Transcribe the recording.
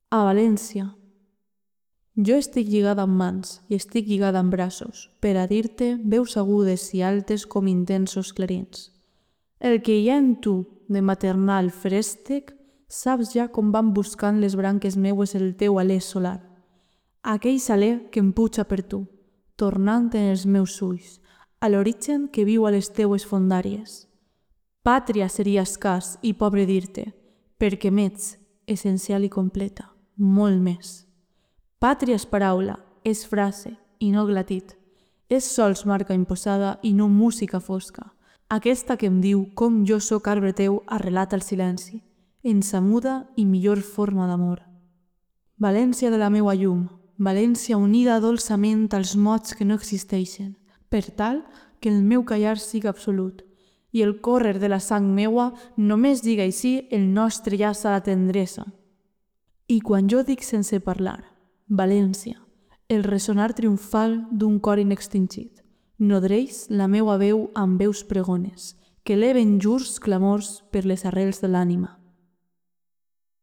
A València. Jo estic lligada amb mans i estic lligada amb braços per a dir-te veus agudes i altes com intensos clarins. El que hi ha en tu de maternal frèstec saps ja com van buscant les branques meues el teu alè solar. Aquell saler que em puja per tu, tornant en els meus ulls, a l'origen que viu a les teues fondàries. Pàtria seria escàs i pobre dir-te, perquè m'ets essencial i completa, molt més. Pàtria és paraula, és frase i no glatit. És sols marca imposada i no música fosca. Aquesta que em diu com jo sóc arbre teu arrelat al silenci, en sa muda i millor forma d'amor. València de la meua llum, València unida dolçament als mots que no existeixen, per tal que el meu callar siga absolut, i el córrer de la sang meua només diga així el nostre llaç a la tendresa. I quan jo dic sense parlar, València, el ressonar triomfal d'un cor inextingit, nodreix la meua veu amb veus pregones, que eleven jurs clamors per les arrels de l'ànima.